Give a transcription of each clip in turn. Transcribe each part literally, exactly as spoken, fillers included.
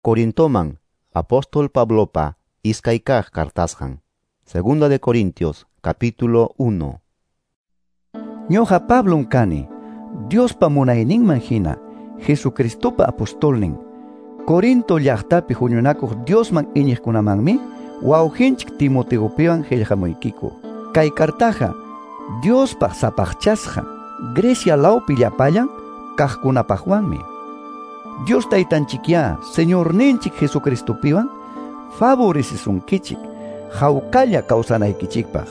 Corintoman, apóstol Pablopa iskay kaq cartasqan. Segunda de Corintios, capítulo uno. Ñuqa Pablom kani, Diospa munayninman hina, Jesucristopa apostolnin. Corinto llaqtapi huñunakuq Diosman iñiqkunamanmi, wawqinchik Timoteopiwan qillqamuykiku. Kay kartaqa Diospaq sapaqchasqa, Grecia lawpi llapallan kaqkunapaqwanmi. Dios taytanchikyá, Señorninchik Jesucristopiwan, favorecisunkichik, hawkalla kawsanaykichikpaq.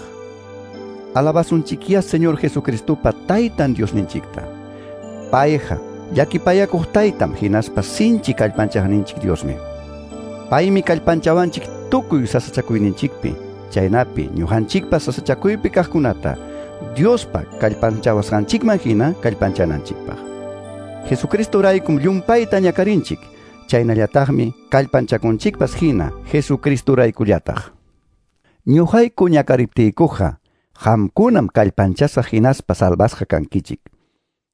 Alabasunchikyá Señor Jesucristopa taytan Diosninchikta. Payqa llakipayakuq taytam hinaspa sinchi kallpanchaqninchik Diosmi. Paymi kallpanchawanchik tukuy sasachakuyninchikpi, chaynapi ñuqanchikpa sasachakuypi kaqkunata Diospa kallpanchawasqanchikman hina kallpanchananchikpaq. Jesucristoraykum llumpayta ñakarinchik, chaynallataqmi kallpanchakunchikpas hina Jesucristoraykullataq. Ñuqayku ñakariptiykuqa, qamkunam kallpanchasqa hinaspa salvasqa kankichik.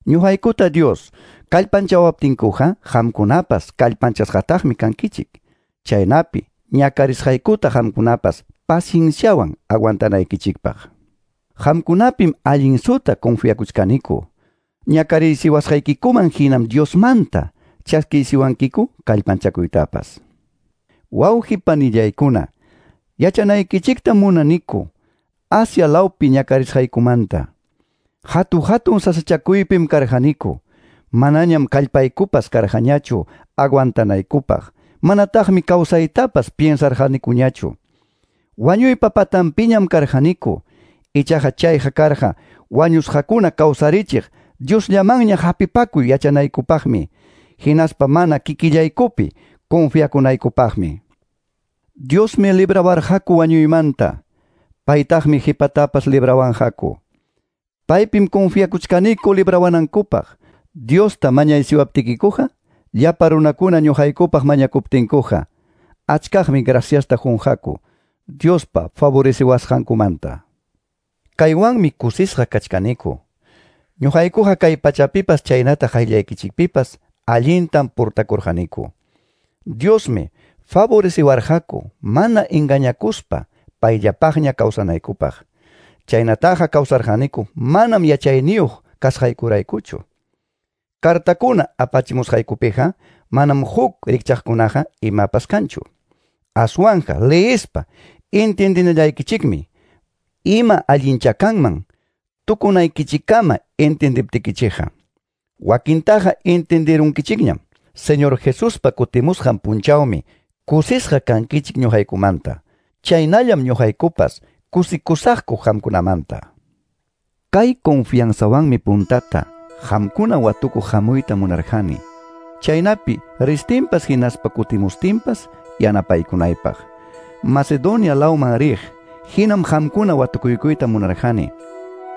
Ñuqaykuta Dios kallpanchawaptinkuqa, qamkunapas kallpanchasqataqmi kankichik. Chaynapi ñakarisqaykuta qamkunapas pacienciawan aguantanaykichikpaq. Qamkunapim allinsuta confiakuchkaniku. Ñakariysiwasqaykikuman hinam Diosmanta chaskiysiwankiku kallpanchakuytapas. Wawqi panillaykuna, yachanaykichikta munaniku Asia lawpi ñakarisqaykumanta. Hatu hatun sasachakuypim karqaniku, manañam kallpaykupas karqañachu aguantanaykupaq, manataqmi kawsaytapas piensarqanikuñachu. Wañuypa patanpiñam karqaniku, ichaqa chayqa karqa wañusqakuna kawsarichiq Diosllamanña hapipakuy yachanaykupaqmi, hinaspa mana kikillaykupi confiakunaykupaqmi. Diosmi librawarqaku wañuymanta, paytaqmi qhipatapas librawanqaku. Paypim confiakuchkaniku librawanankupaq. Diosta mañaysiwaptikikuqa, llapa runakuna ñuqaykupaq mañakuptinkuqa, achkaqmi graciasta qunqaku Diospa favoreciwasqankumanta. Kaywanmi kusisqa kachkaniku. Ñuqaykuqa kay pachapipas chaynata qayllaykichikpipas allintam portakurqaniku. Diosmi favoreciwarqaku mana engañakuspa payllapaqña kawsanaykupaq. Chaynataqa kawsarqaniku manam yachayniyuq kasqaykuraykuchu. Kartakuna apachimusqaykupiqa manam huk rikchaqkunaqa imapas kanchu. Aswanqa leespa entiendinallaykichikmi ima allincha kanman tukunaykichikama entendiptikichikqa. Wakintaqa entenderunkichikñam. Señor Jesuspa kutimusqan punchawmi kusisqa kankichik ñuqaykumanta. Chaynallam ñuqaykupas kusikusaqku qamkunamanta. Kay confianzawanmi puntata qamkuna watukuq hamuyta munarqani. Chaynapi ristinpas hinaspa kutimustinpas yanapaykunaypaq. Macedonia lawman riq hinam qamkuna watukuykuyta munarqani.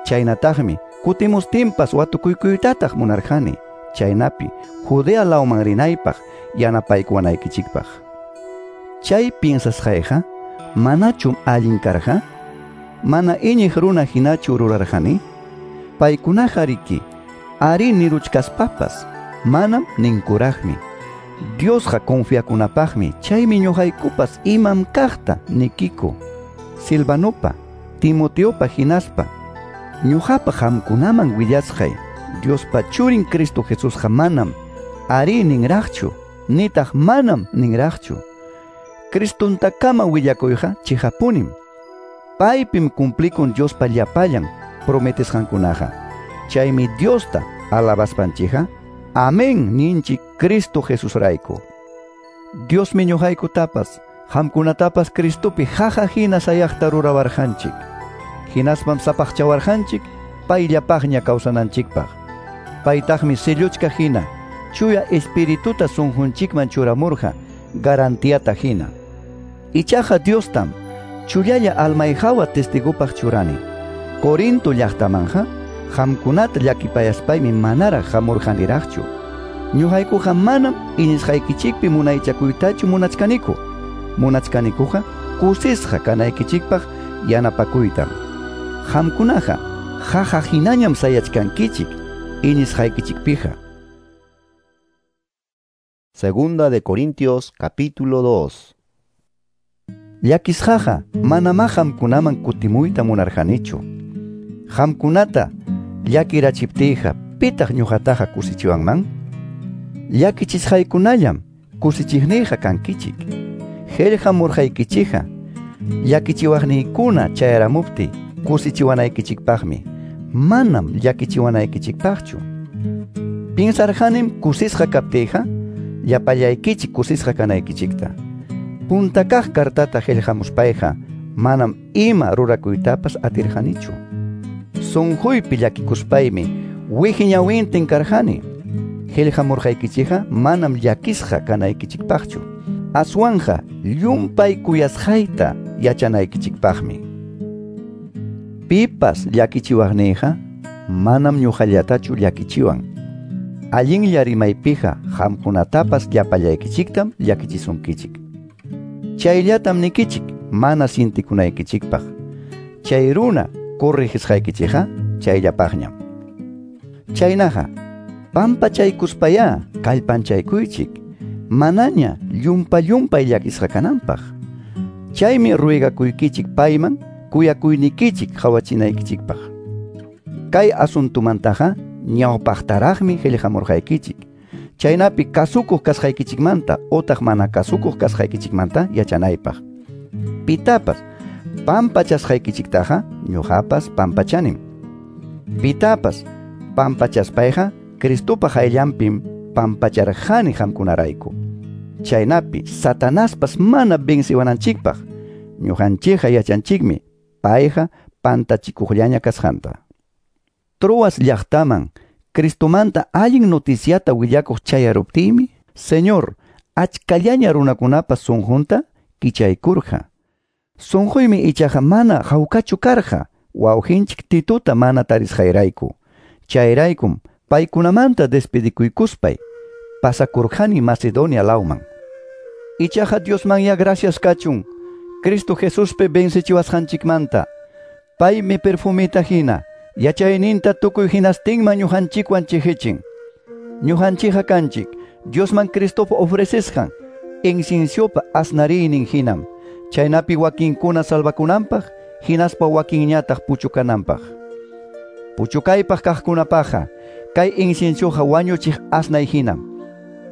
Chaynataqmi kutimustinpas watukuykuytataq munarqani. Chaynapi Judea lawman rinaypaq yanapaykuwanaykichikpaq. Chay piensasqayqa manachum allin karqa? Mana iñiq runa hinachu rurarqani? Paykunaqa riki ari niruchkaspapas manam ninkuraqmi. Diosqa confiakunapaqmi, chaymi ñuqaykupas imam kaqta nikiku. Silvanopa, Timoteopa hinaspa ñuqapa qamkunaman willasqay Diospa churin Cristo Jesusqa manam ari ninraqchu, nitaq manam ninraqchu. Cristontakama willakuyqa chiqapunim. Paypim cumplikun Diospa llapallan prometesqankunaqa. Chaymi Diosta alabaspanchikqa, amén ninchik Cristo Jesusrayku. Diosmi ñuqaykutapas, qamkunatapas Cristopi qaqa hina sayaqta rurawarqanchik. Hinaspam sapaqchawarqanchik payllapaqña kawsananchikpaq. Paytaqmi selluchka hina chuya espirituta sunqunchikman churamurqa garantiata hina. Ichaqa Diostam chullalla almayhawa testigopaq churani. Corinto llaqtamanqa qamkunata llakipayaspaymi manaraq hamurqaniraqchu. Ñuqaykuqa manam iñisqaykichikpi munaychakuytachu munachkaniku. Munachkanikuqa kusisqa kanaykichikpaq yanapakuytam. Qamkunaqa qaqa hinañam sayachkankichik iñisqaykichikpiqa. Segunda de Corintios capítulo dos. Llakisqaqa manamá qamkunaman kutimuyta munarqanichu. Qamkunata llakirachiptiyqa pitaq ñuqataqa kusichiwanman? Llakichisqaykunallam kusichiqniyqa kankichik. Qillqamurqaykichikqa llakichiwaqniykuna chayaramuptiy kusichiwanaykichikpaqmi, manam llakichiwanaykichikpaqchu. Pinsarqanim kusisqa kaptiyqa llapallaykichik kusisqa kanaykichikta. Punta kaq kartata qillqamuspayqa manam ima rurakuytapas atirqanichu. Sunquypi llakikuspaymi wiqi ñawintin karqani. Qillqamurqaykichikqa manam llakisqa kanaykichikpaqchu, aswanqa llumpay kuyasqayta yachanaykichikpaqmi. Pipas llakichiwaqniyqa manam ñuqallatachu llakichiwan. Allinlla rimaypiqa qamkunatapas llapallaykichiktam llakichisunkichik. Chayllatam nikichik mana sintikunaykichikpaq. Chay runa corrigisqaykichikqa chayllapaqñam. Chaynaqa pampachaykuspayá kallpanchaykuychik manaña llumpa llumpay llakisqa kananpaq. Chaymi ruegakuykichik payman kuyakuynikichik qhawachinaykichikpaq. Kay asuntumantaqa ñawpaqtaraqmi qillqamurqaykichik. Chaynapi kasukuq kasqaykichikmanta otaq mana kasukuq kasqaykichikmanta yachanaypaq. Pitapas pampachasqaykichiktaqa ñuqapas pampachanim. Pitapas pampachaspayqa Cristopa hayllanpim pampacharqani qamkunarayku. Chaynapi Satanaspas mana venciwananchikpaq ñuqanchikqa yachanchikmi payqa pantachikuqllaña kasqanta. Troas llaqtaman Cristomanta allin noticiata willakuq chayaruptiymi, Señor achkallaña runakunapa sunqunta kichaykurqa. Sunquymi ichaqa mana hawkachu karqa wawqinchik Titota mana tarisqayrayku. Chayraykum paykunamanta despedikuykuspay pasakurqani Macedonia lawman. Ichaqa Diosmanya gracias kachun Cristo Jesuspi vencechiwasqanchikmanta. Paymi perfumita hina yachayninta tukuy hinastinman ñuqanchikwan chiqichin. Ñuqanchikqa kanchik Diosman Cristopa ofrecesqan inciensiopa asnariynin hinam, chaynapi wakinkuna salvakunanpaq hinaspa wakinñataq puchukananpaq. Puchukaypaq kaqkunapaqqa kay inciensioqa wañuchiq asnay hinam.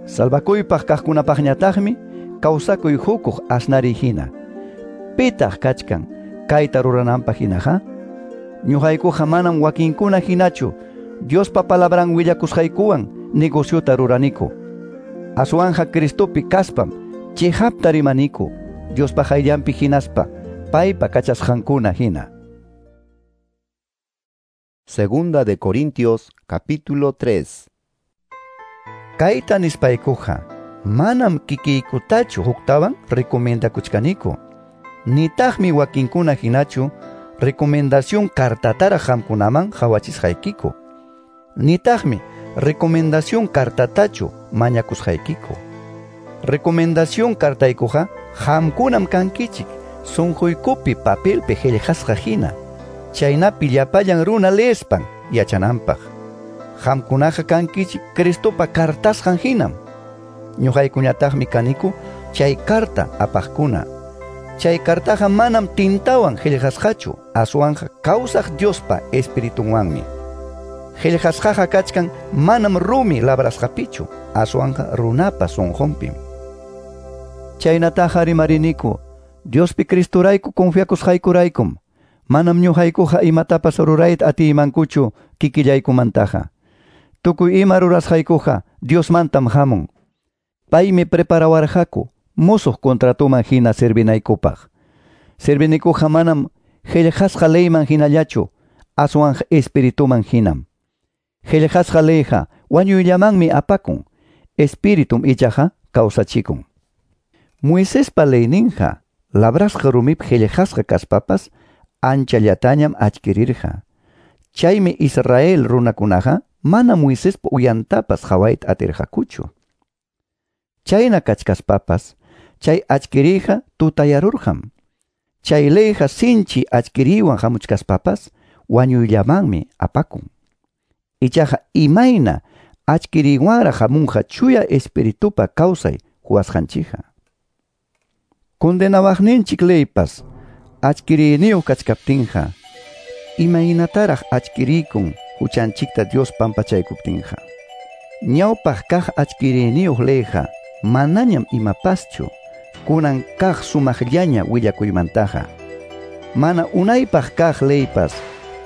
Salvakuypaq kaqkunapaqñataqmi kawsakuy hukuq asnariy hina. Pitaq kachkan kayta rurananpaq hinaqa? Ñuqaykuqa manam wakinkuna hinachu Diospa palabran willakusqaykuwan negociota ruraniku. Aswanja Cristopi kaspam chiqapta rimaniku Diospa hayllanpi hinaspa paypa kachasqankuna hina. Segunda de Corintios capítulo tres. Kayta nispaykuqa manam kikiykutachu huktawan recomendakuchkaniku. Nitaqmi wakinkuna hinachu recomendación kartataraq qamkunaman qhawachisqaykiku. Nitaqmi recomendación kartatachu mañakusqaykiku. Recomendación kartaykuqa qamkunam kankichik sunquykupi papelpi qillqasqa hina. Chaynapi llapallan runa leespan yachananpaq. Qamkunaqa kankichik Cristopa kartasqan hinam. Ñuqaykuñataqmi kaniku chay karta apaqkuna. Chay kartaqa manam tintawan qillqasqachu, aswanqa kawsaq Diospa espiritunwanmi. Qillqasqaqa kachkan manam rumi labrasqapichu, aswanqa runapa sunqunpim. Chaynataqa rimariniku Diospi Cristorayku confiakusqaykuraykum. Manam ñuqaykuqa imatapas rurayta atiymankuchu kikillaykumantaqa. Tukuy ima rurasqaykuqa Diosmantam hamun. Paymi preparawarqaku musuq contratuman hina servinaykupaq. Servinikuqa manam qillqasqa leyman hinallachu, aswanqa espirituman hinam. Qillqasqa leyqa wañuyllamanmi apakun, espiritum ichaqa kawsachikun. Moisespa leyninqa labrasqa rumipi qillqasqa kaspapas anchallatañam achkirirqa. Chaymi Israel runakunaqa mana Moisespa uyantapas qhawayta atirqakuchu. Chayna kachkaspapas chay achkiriyqa tutayarurqam. Chay leyqa sinchi achkiriywan hamuchkaspapas wañuyllamanmi apakun. Ichaqa imayna Achkiriywanraq hamunqa chuya espiritupa kawsay huwasqanchikqa. Condenawaqninchik leypas achkiriyniyuq kachkaptinqa, imaynataraq achkiriykun huchanchikta Dios pampachaykuptinqa. Ñawpaq kaq achkiriyniyuq leyqa manañam imapaschu kunan kaq sumaqllaña willakuymantaqa. Mana unaypaq kaq leypas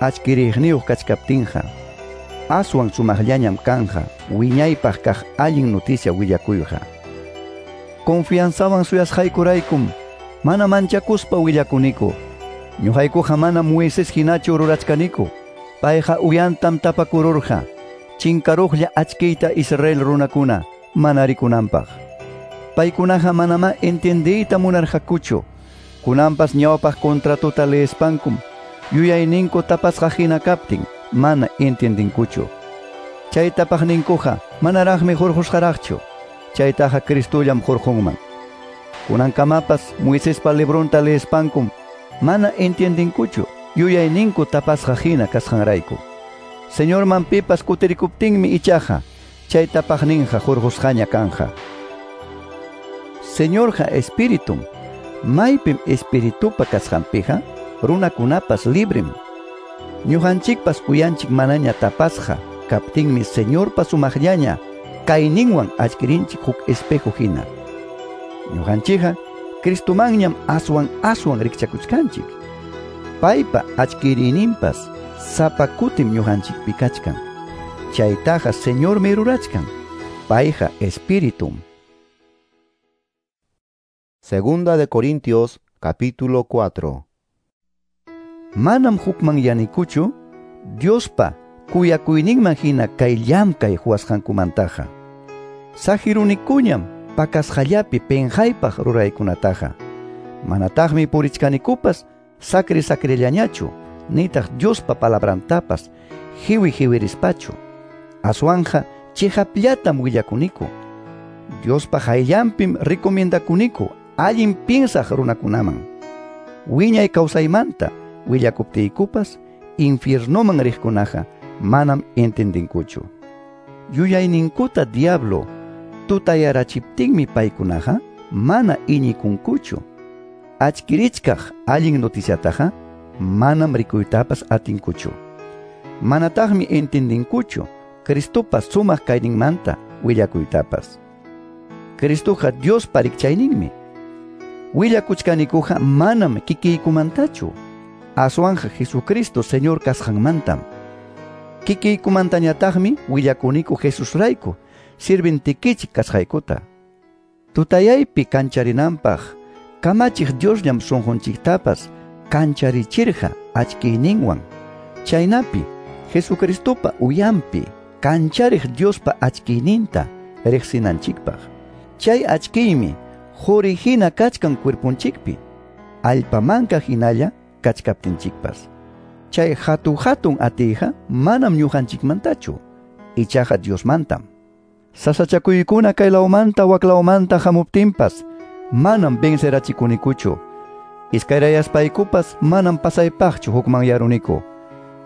achkiriyniyuq kachkaptinqa, aswan sumaqllañam kanja wiñaypaq kaq allin noticia willakuyqa. Confianzawan suyasqaykuraykum mana manchakuspa willakuniku. Ñuqaykuqa mana Moisés hinachu rurachkaniku. Payqa uyantam tapakururqa chinkaruqlla achkiyta Israel runakuna mana rikunanpaq. Paykunaqa manamá entiendiyta munarqakuchu. Kunanpas ñawpaq contratota leespankum yuyayninku tapasqa hina kaptin mana entiendinkuchu. Chay tapaqninkuqa manaraqmi hurqusqaraqchu. Chaytaqa Cristollam hurqunman. Kunankamapas Moisespa libronta leespankum mana entiendinkuchu yuyayninku tapasqa hina kasqanrayku. Señorman pipas kutirikuptinmi ichaqa chay tapaqninqa hurqusqaña kanja. Señorqa espiritum, maypim espiritupa kasqanpiqa runakunapas librem. Ñuqanchikpas uyanchik manaña tapasqa kaptinmi Señorpa sumaqllaña kayninwan achkirinchik huk espejo hina. Ñuqanchikqa Cristomanñam aswan aswan rikchakuchkanchik. Paypa achkiriyninpas sapa kutim ñuqanchikpi kachkan. Chaytaqa Señormi rurachkan. Payqa espiritum. Segunda de Corintios, capítulo cuatro. Manam hukmanyanikuchu Diospa kuyakuyninman hina kay llamkay huwasqankumantaqa. Saqirunikuñam pakasqallapi penqaypaq ruraykunataqa. Manataqmi purichkanikupas sakri sakrillañachu, nitaq Diospa palabrantapas hiwi hiwirispachu. Aswanja chiqapllatam willakuniku. Diospa hayllanpim recomiendakuniku allin piensaq runakunaman. Wiñay kawsaymanta willakuptiykupas infiernoman riqkunaqa manam entendinkuchu. Yuyayninkuta diablo tutayarachiptinmi paykunaqa mana iñikunkuchu. Achkirichkaq allin noticiataqa manam rikuytapas atinkuchu. Manataqmi entendinkuchu Cristopa sumaq kayninmanta willakuytapas. Cristoqa Diospa rikchayninmi. Willakuchkanikuqa manam kikiykumantachu, aswanja Jesucristo Señor kasqanmantam. Kikiykumantañataqmi willakuniku Jesusrayku sirvintikichik kasqaykuta. Tutayaypi kancharinanpaq kamachiq Diosllam sunqunchiktapas kancharichirqa achkiyninwan. Chaynapi Jesucristopa uyanpi kanchariq Diospa achkiyninta riqsinanchikpaq. Chay achkiymi quri hina kachkan cuerponchikpi, allpamanka hinalla kachkaptinchikpas. Chay hatu hatun atiyqa manam ñuqanchikmantachu, ichaqa Diosmantam. Sasachakuykuna kaylawmanta waklawmanta hamuptinpas manam vencerachikunikuchu. Iskayrayaspaykupas manam pasaypaqchu hukmanyaruniku.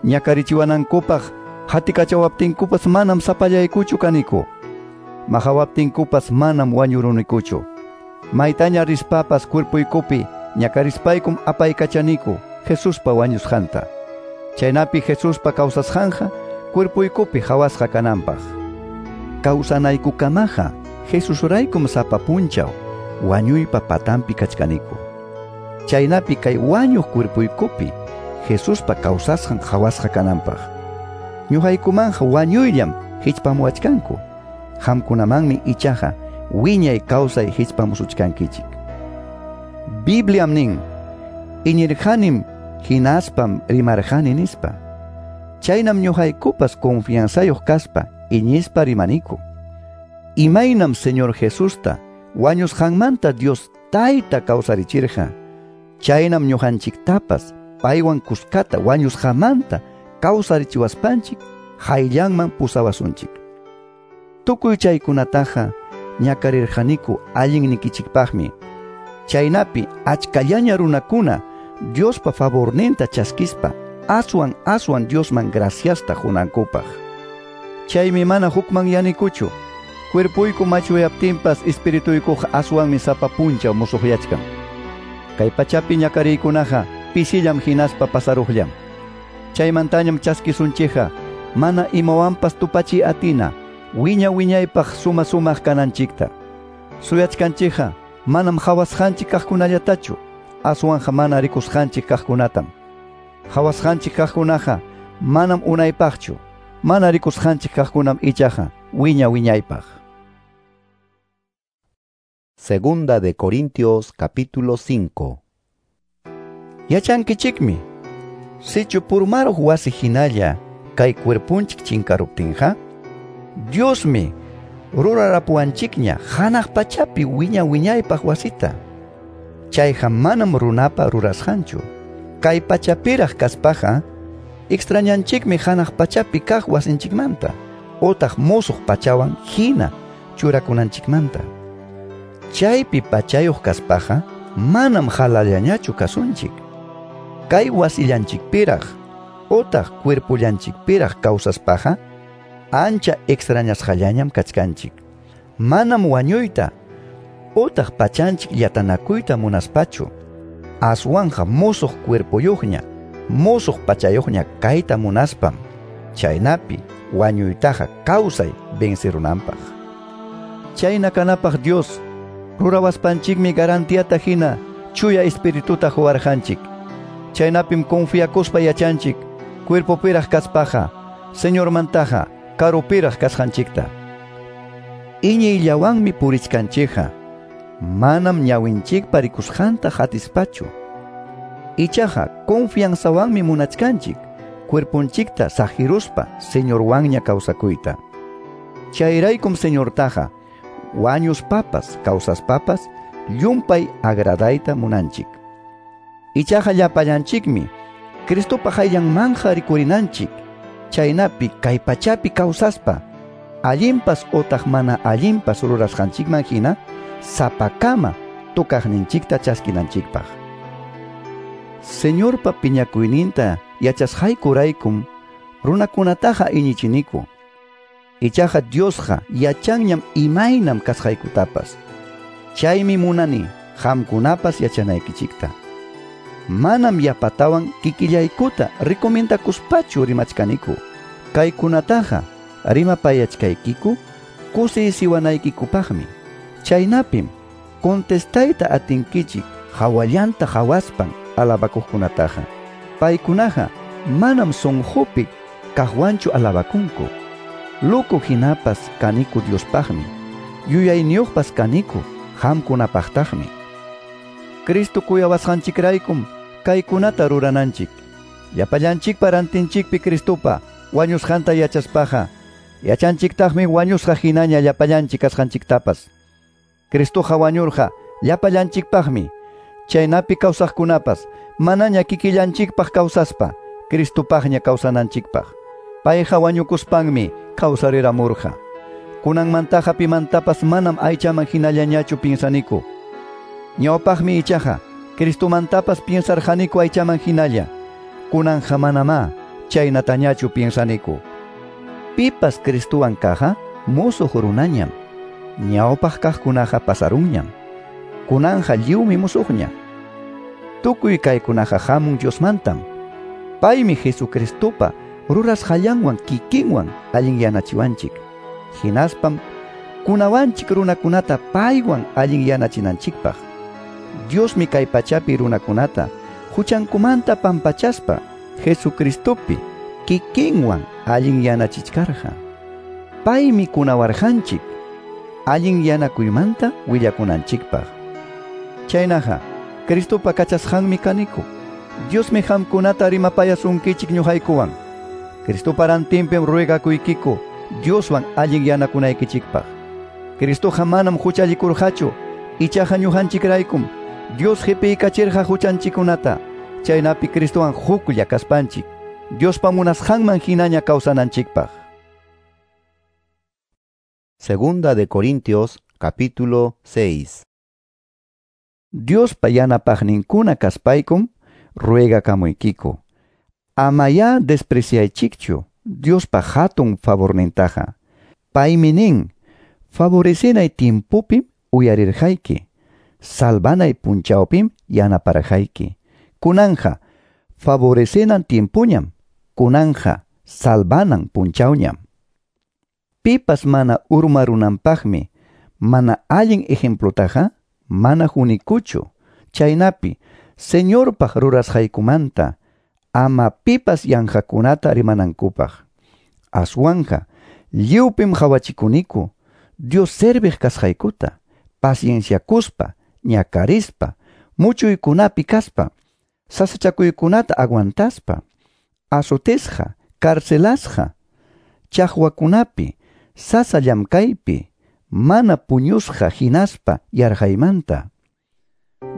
Ñakarichiwanankupaq hatikachawaptinkupas manam sapallaykuchu kaniku. Mahawaptinkupas manam wañurunikuchu. Maytaña rispapas cuerpuykupi ñakarispaykum apaykachaniku Jesuspa wañusqanta. Chaynapi Jesuspa kawsasqanja cuerpuykupi hawasqa kananpaq. Kawsanaykukamaqa Jesusraykum sapa punchaw wañuypa patanpi kachkaniku. Chaynapi kay wañuq cuerpuykupi Jesuspa kawsasqan hawasqa kananpaq. Ñuqaykumanja wañuyllam hichpamuwachkanku. Qamkunamanmi ichaqa wiñay kawsay hichpamusuchkankichik. Bibliam nin, iñirqanim hinaspam rimarqani nispa. Chaynam ñuqaykupas confianzayuq kaspa iñispa rimaniku. Imaynam Señor Jesusta wañusqanmanta Dios Tayta kawsarichirqa, chaynam ñuqanchiktapas paywan kuskata wañusqamanta kawsarichiwaspanchik hayllanman pusawasunchik. Tukuy chaykunataqa ñakarirqaniku allinnikichikpaqmi. Chaynapi achkallaña runakuna Diospa favorninta chaskispa aswan aswan Diosman graciasta hunankupaq. Chaymi mana hukmanyanikuchu. Cuerpuyku machuyaptinpas espirituykuqa aswanmi sapa punchaw musuqyachkan. Kay pachapi ñakariykunaqa pisillam hinaspa pasaruqllam. Chaymantañam chaskisunchikqa mana imawanpas tupachi atina wiña wiñaypaq suma sumaq kananchikta. Suyachkanchikqa manam hawasqanchik kaqkunallatachu, aswanqa mana rikusqanchik kaqkunatam. Hawasqanchik kaqkunaqa manam unaypaqchu, mana rikusqanchik kaqkunam ichaqa wiña wiñaypaq. Segunda de Corintios capítulo cinco. Yachankichikmi, sichu purmaruq wasi hinalla kay cuerpunchik chinkaruptinqa, Diosmi rurarapuwanchikña hanaq pachapi wiña wiñaypaq wasita. Chayqa manam runapa rurasqanchu. Kay pachapiraq kaspaqa extrañanchikmi hanaq pachapi kaq wasinchikmanta, otaq musuq pachawan hina churakunanchikmanta. Chaypi pachayuq kaspaqa manam halallañachu kasunchik. Kay wasillanchikpiraq otaq cuerpullanchikpiraq kawsaspaqa ancha extrañasqallañam kachkanchik. Manam wañuyta otaq pachanchik llatanakuyta munaspachu, aswanqa musuq cuerpuyuqña, musuq pachayuqña kayta munaspam, chaynapi wañuytaqa kawsay vencirunanpaq. Chayna kanapaq Dios rurawaspanchikmi garantiata hina chuya espirituta huwarqanchik. Chaynapim confiakuspa yachanchik cuerpopiraq kaspaqa Señormantaqa karupiraq kasqanchikta. Iñiyllawanmi purichkanchikqa, manam ñawinchikpa rikusqanta hatispachu. Ichaqa confianzawanmi munachkanchik cuerpunchikta saqiruspa Señorwanña kawsakuyta. Chayraykum Señortaqa wañuspapas kawsaspapas llumpay agradayta munanchik. Ichaqa llapallanchikmi Cristopa qayllanmanja rikurinanchik, chaynapi kay pachapi kawsaspa allinpas otaq mana allinpas rurasqanchikman hina sapakama tukaqninchikta chaskinanchikpaq. Señorpa piñakuyninta yachasqaykuraykum runakunataqa iñichiniku. Ichaqa Diosqa yachanñam imaynam kasqaykutapas. Chaymi munani qamkunapas yachanaykichikta. Manam yapatawan kikillaykuta recomendakuspachu rimachkaniku. Kaykunataqa rimapayachkaykiku kusisiwanaykikupaqmi. Chaynapim contestayta atinkichik hawallanta hawaspan alabakuqkunataqa. Paykunaqa manam sunqupi kaqwanchu alabakunku. Loco hinapas kaniku Diospaqmi, yuyayniyuqpas kaniku qamkunapaqtaqmi. Cristo kuyawasqanchikraykum kaykunata rurananchik. Llapallanchikpa rantinchikpi Cristopa wañusqanta yachaspaqa, yachanchiktaqmi wañusqa hinaña llapallanchik kasqanchiktapas. Cristoqa wañurqa llapallanchikpaqmi, chaynapi kawsaqkunapas manaña kikillanchikpaq kawsaspa Cristopaqña kawsananchikpaq. Payqa wañukuspanmi kawsariramurqa. Kunanmantaqa pimantapas manam aychaman hinallañachu piensaniku. Ñawpaqmi ichaqa Cristomantapas piensarqaniku aychaman hinalla. Kunanqa manamá chaynatañachu piensaniku. Pipas Cristowan kaqqa musuq runañam. Ñawpaq kaqkunaqa pasarunñam. Kunanqa lliwmi musuqña. Tukuy kaykunaqa hamun Diosmantam. Paymi Jesucristopa rurasqallanwan kikinwan allinyanachiwanchik. Hinaspam kunawanchik runakunata paywan allinyanachinanchikpaq. Diosmi kay pachapi runakunata huchankumanta pampachaspa Jesucristopi kikinwan allinyanachichkarqa. Paymi kunawarqanchik allinyanakuymanta willakunanchikpaq. Chaynaqa Cristopa kachasqanmi kaniku. Diosmi qamkunata rimapayasunkichik ñuqaykuwan. Cristopa rantinpim ruegakuykiku Dioswan allinyanakunaykichikpaq. Cristoqa manam huchallikurqachu, ichaqa ñuqanchikraykum Dios qipiykachirqa huchanchikkunata, chaynapi Cristowan huklla kaspanchik Diospa munasqanman hinaña kawsananchikpaq. Segunda de Corintios capítulo seis. Diospa yanapaqninkuna kaspaykum ruegakamuykiku. Amayá despreciaychikchu Diospa hatun favornintaqa. Paymi nin, favorecenay tiempopim uyarirqayki, salvanay punchawpim yanaparqayki. Kunanja favorecenan tiempoñam, kunanja salvanan punchawñam. Pipas mana urmarunanpaqmi mana allin ejemplotaqa mana hunikuchu, chaynapi Señorpaq rurasqaykumanta ama pipas yanqakunata rimanankupaq. Aswanja lliwpim qhawachikuniku Dios serviq kasqaykuta, pacienciakuspa, ñakarispa, muchuykunapi kaspa, sasachakuykunata aguantaspa, azotisqa, carcelasqa, chaqwakunapi, sasa llamkaypi, mana puñusqa hinaspa yarqaymanta.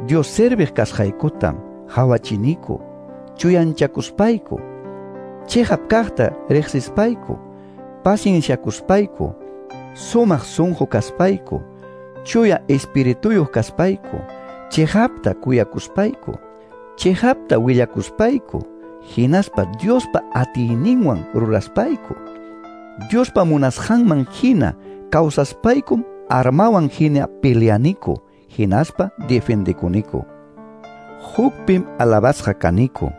Dios serviq kasqaykutam qhawachiniku, chuyanchakuspayku, chiqap kaqta riqsispayku, pacienciakuspayku, sumaq sunqu kaspayku, chuya espirituyuq kaspayku, chiqapta kuyakuspayku, chiqapta willakuspayku, hinaspa Diospa atiyninwan ruraspayku, Diospa munasqanman hina kawsaspaykum armawan hina peleaniku, hinaspa defendekuniku. Hukpim alabasqa kaniku,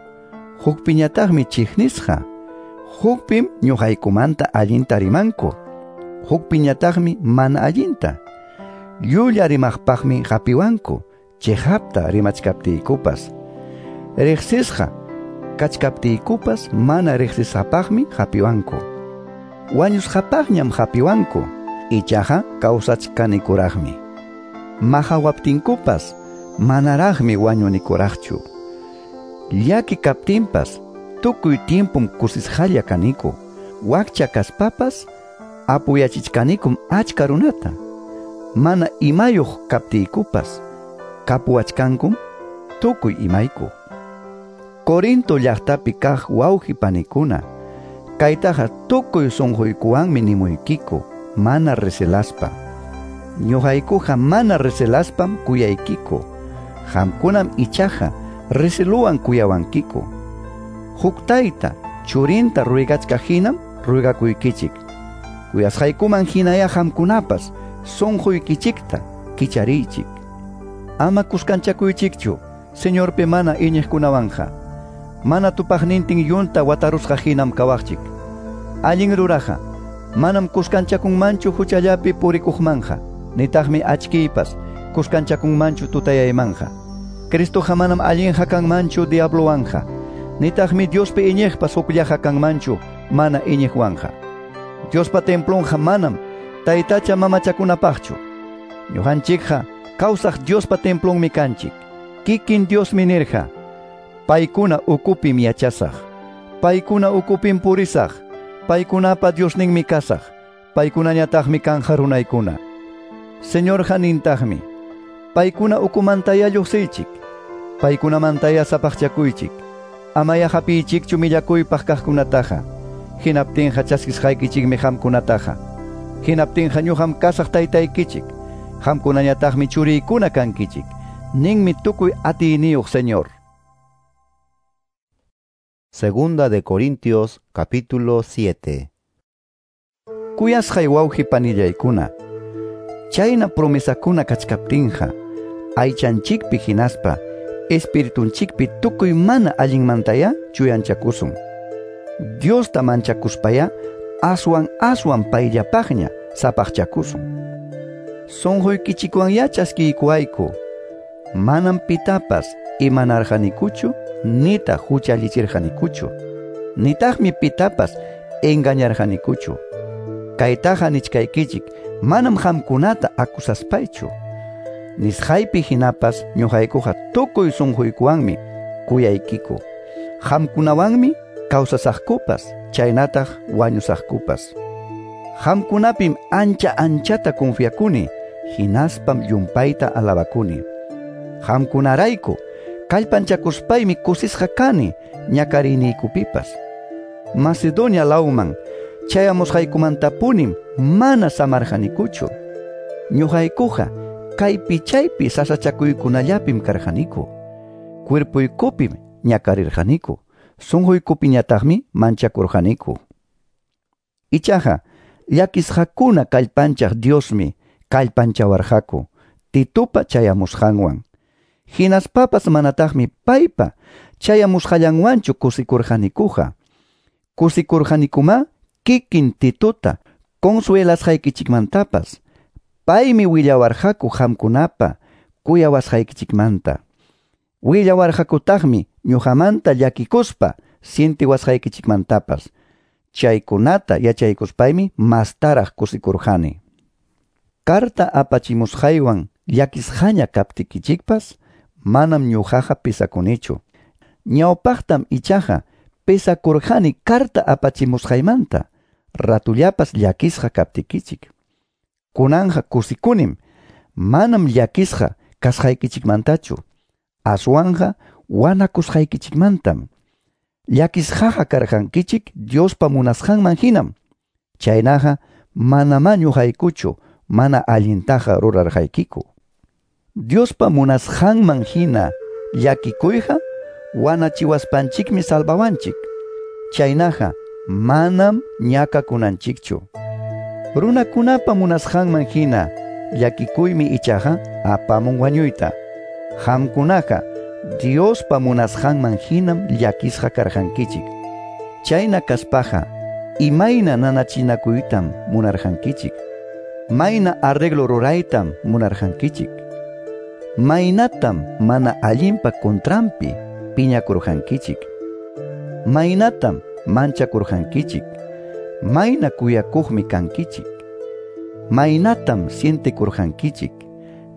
hukpiñataqmi chiqnisqa, hukpim ñuqaykumanta allinta rimanku, hukpiñataqmi mana allinta. Llulla rimaqpaqmi hapiwanku, chiqapta rimachkaptiykupas. Riqsisqa kachkaptiykupas mana riqsisqapaqmi hapiwanku. Wañusqapaqñam hapiwanku, ichaqa kawsachkanikuraqmi. Maqawaptinkupas manaraqmi wañunikuraqchu. Llaki kaptinpas tukuy tiempum kusisqalla kaniku. Wakcha kaspapas apuyachichkanikum achka runata. Mana imayuq kaptiykupas kapuwachkankum tukuy imayku. Corinto llaqtapi kaq wawqi panikuna, kaytaqa tukuy sunquykuwanmi nimuykiku, mana recelaspa. Ñuqaykuqa mana recelaspam kuyaykiku, qamkunam ichaqa receluwan kuyawankiku. Huk tayta churinta ruygachkaq hinam ruygakuykichik. Kuyasqaykuman hinaya qamkunapas sunquykichikta kichariychik. Ama kuskanchakuychikchu Señorpi mana iñiqkunawanqa. Mana tupaqnintin yunta watarusqa hinam kawaqchik. Allin ruraqa manam kuskanchakunmanchu huchallapi purikuqmanja, nitaqmi achkiypas kuskanchakunmanchu tutayaymanqa. Cristoqa manam allinqa kanmanchu diablowanqa, nitaqmi Diospi iñiqpas hukllaqa kanmanchu mana iñiqwanqa. Diospa templonqa manam taytacha mamachakunapaqchu. Ñuqanchikqa kawsaq Diospa templonmi kanchik. Kikin Diosmi nirqa, paykuna ukupim yachasaq, paykuna ukupim purisaq, paykunapa Diosninmi kasaq, paykunañataqmi kanja runaykuna. Señorqa nintaqmi, paykuna ukumantaya lluqsiychik, paykunamantaya sapaqchakuychik, amaya hapiychikchu millakuypaq kaqkunataqa, hinaptinqa chaskisqaykichikmi qamkunataqa, hinaptinqa ñuqam kasaq taytaykichik, qamkunañataqmi churiykuna kankichik, ninmi tukuy atiyniyuq Señor. Segunda de Corintios, capítulo siete. Kuyasqay wawqi panillaykuna, chayna promesakuna kachkaptinqa, aychanchikpi hinaspa espiritunchikpi tukuy mana allinmantaya chuyanchakusun. Diosta manchakuspaya aswan aswan payllapaqña sapaqchakusun. Sunquykichikwanya chaskiykuwayku, manam pitapas imanarqanikuchu nitaq huchallichirqanikuchu, nitaqmi pitapas engañarqanikuchu. Kaytaqa nichkaykichik manam qamkunata acusaspaychu. Nisqaypi hinapas ñuqaykuqa tukuy sunquykuwanmi kuyaykiku. Qamkunawanmi kawsasaqkupas, chaynataq wañusaqkupas. Qamkunapim ancha anchata confiakuni, hinaspam llumpayta alabakuni. Qamkunarayku kallpanchakuspaymi kusisqa kani ñakariniykupipas. Macedonia lawman chayamusqaykumantapunim mana samarqanikuchu. Ñuqaykuqa kaypi chaypi sasachakuykunallapim karqaniku. Cuerpoykupim ñakarirqaniku, sunquykupiñataqmi manchakurqaniku. Ichaqa llakisqakuna kallpanchaq Diosmi kallpanchawarqaku Titupa chayamusqanwan. Hinaspapas manataqmi paypa chayamusqallanwanchu kusikurqanikuqa. Kusikurqanikuma kikin Tituta consuelasqaykichikmantapas. Paymi willawarqaku qamkunapa kuyawasqaykichikmanta. Willawarqakutaqmi ñuqamanta llakikuspa sientiwasqaykichikmantapas. Chaykunata yachaykuspaymi mastaraq kusikurqani. Carta apachimusqaywan llakisqaña kaptikichikpas manam ñuqaqa pesakunichu. Ñawpaqtam ichaqa pesakurqani carta apachimusqaymanta ratullapas llakisqa kaptikichik. Kunanja kusikunim, manam llakisqa kasqaykichikmantachu, aswanja wanakusqaykichikmantam. Llakisqaqa karqankichik Diospa munasqanman hinam. Chaynaqa manamá ñuqaykuchu mana allintaqa rurarqaykiku. Diospa munasqanman hina llakikuyqa wanachiwaspanchikmi salvawanchik. Chaynaqa manam ñakakunanchikchu. Runakunapa munasqanman hina llakikuymi ichaqa apamun wañuyta. Qamkunaqa Diospa munasqanman hinam llakisqa karqankichik. Chayna kaspaqa imayna nanachinakuytam munarqankichik. Mayna arreglo ruraytam munarqankichik. Maynatam mana allinpa contranpi piñakurqankichik. Maynatam manchakurqankichik. Mayna kuyakuqmi kankichik. Maynatam sientekurqankichik.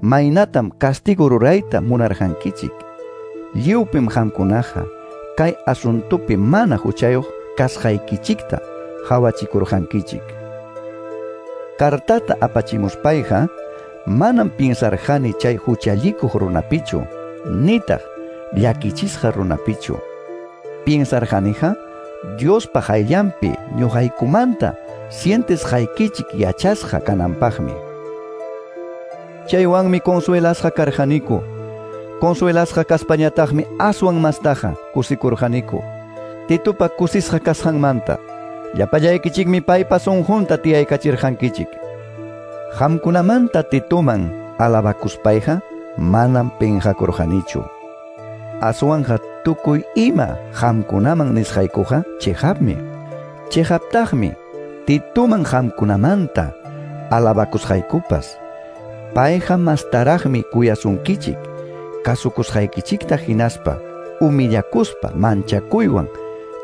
Maynatam castigo rurayta munarqankichik. Lliwpim qamkunaqa kay asuntupi mana huchayuq kasqaykichikta hawachikurqankichik. Cartata apachimuspayqa manam piensarqani chay huchallikuq runapichu, nitaq llakichisqa runapichu. Piensarqaniqa Diospa qayllanpi ñuqaykumanta sientesqaykichik yachasqa kananpaqmi. Chaywanmi consuelasqa karqaniku. Consuelasqa kaspañataqmi aswan mastaqa kusikurqaniku. Titupa kusisqa kasqanmanta llapallaykichikmi paypa sunqunta tiyaykachirqankichik. Qamkunamanta Tituman alabakuspayqa manam pinqakurqanichu. Aswanja tukuy ima qamkunaman nisqaykuqa chiqapmi. Chiqaptaqmi Tituman qamkunamanta alabakusqaykupas. Payqa mastaraqmi kuyasunkichik, kasukusqaykichikta hinaspa humillakuspa manchakuywan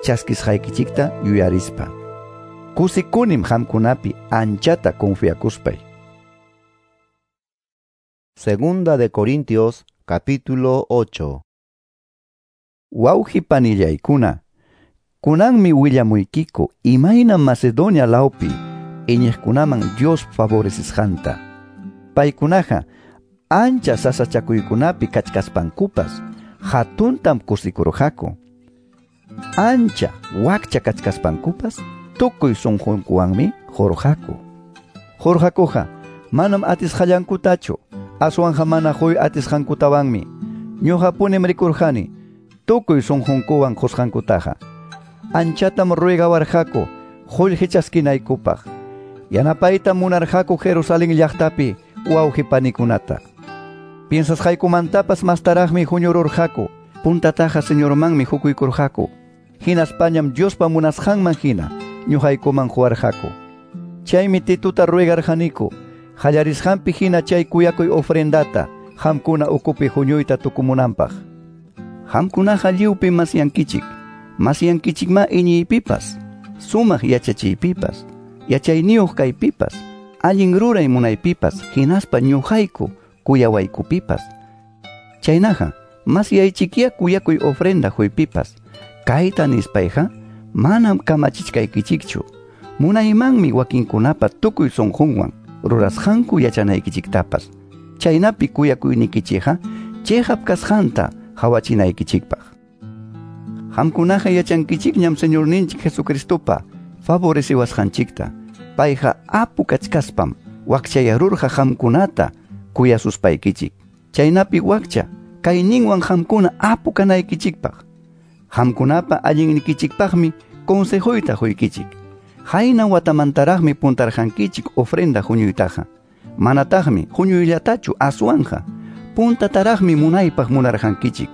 chaskisqaykichikta yuyarispa. Kusikunim qamkunapi anchata confiakuspay. Segunda de Corintios, capítulo ocho. Wawqi panillaykuna, kunanmi willamuykiku imayna Macedonia lawpi iñiqkunaman Dios favorecisqanta. Paykunaqa ancha sasachakuykunapi kachkaspankupas hatuntam kusikurqaku. Ancha wakcha kachkaspankupas tukuy sunqunkuwanmi qurqaku. Qurqakuqa manam atisqallankutachu, aswanja mana huy atisqankutawanmi. Ñuqapunim rikurqani tukuy sunqunkuwan qusqankutaqa. Anchatam ruegawarqaku qullqi chaskinaykupaq. Yanapaytam munarqaku Jerusalén llaqtapi wawqi panikunata. Piensasqaykumantapas mastaraqmi huñururqaku. Puntataqa Señormanmi hukuykurqaku. Hinaspañam Diospa munasqanman hina ñuqaykuman quwarqaku. Chaymi Tituta ruegarqaniku qallarisqanpi hina chay kuyakuy ofrendata qamkuna ukupi huñuyta tukumunanpaq. Qamkunaqa lliwpi masyankichik, masyankichikma iñiypipas, sumaq yachachiypipas, yachayniyuq kaypipas, allin ruray munaypipas, hinaspa ñuqayku kuyawaykupipas. Chaynaqa masyaychikia kuyakuy ofrenda huypipas. Kayta nispayqa manam kamachichkaykichikchu. Munaymanmi wakinkunapa tukuy sunqunwan rurasqanku yachanaykichiktapas. Chaynapi kuyakuynikichikqa chiqap kasqanta hawachinaykichikpaq. Qamkunaqa yachankichikñam Señorninchik Jesucristopa favoreciwasqanchikta. Payqa apu kachkaspam wakchayarurqa qamkunata kuyasuspaykichik. Chaynapi wakcha kayninwan qamkuna apu kanaykichikpaq. Qamkunapa allinnikichikpaqmi consejoyta huykichik. Hayna watamantaraqmi puntarqankichik ofrenda huñuytaqa. Manataqmi huñuyllatachu aswanja. Puntataraqmi munaypaq munarqankichik.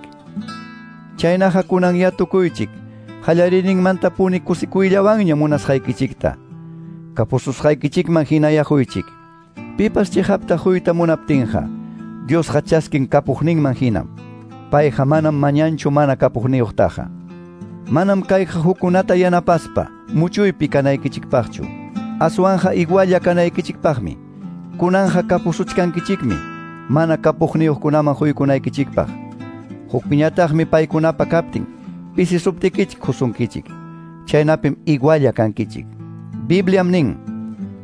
Chaynaqa kunan tukuychik. Qallariyninmantapuni kusikuyllawanña munasqaykichikta. Kapususqaykichikman hinayaquychik. Pipas chiqapta huyta munaptinqa, Diosqa chaskin kapuqninman hinam. Payqa manam mañanchu mana kapuqniyuqtaqa. Manam kayqa hukunata yanapaspa muchuypi kanaykichikpaqchu. Aswanja igualla kanaykichikpaqmi. Kunanja kapusuchkankichikmi mana kapuqniyuqkunaman huykunaykichikpaq. Hukpiñataqmi paykunapa kaptin pisisuptikichik husunkichik. Chaynapim igualla kankichik. Bibliam nin,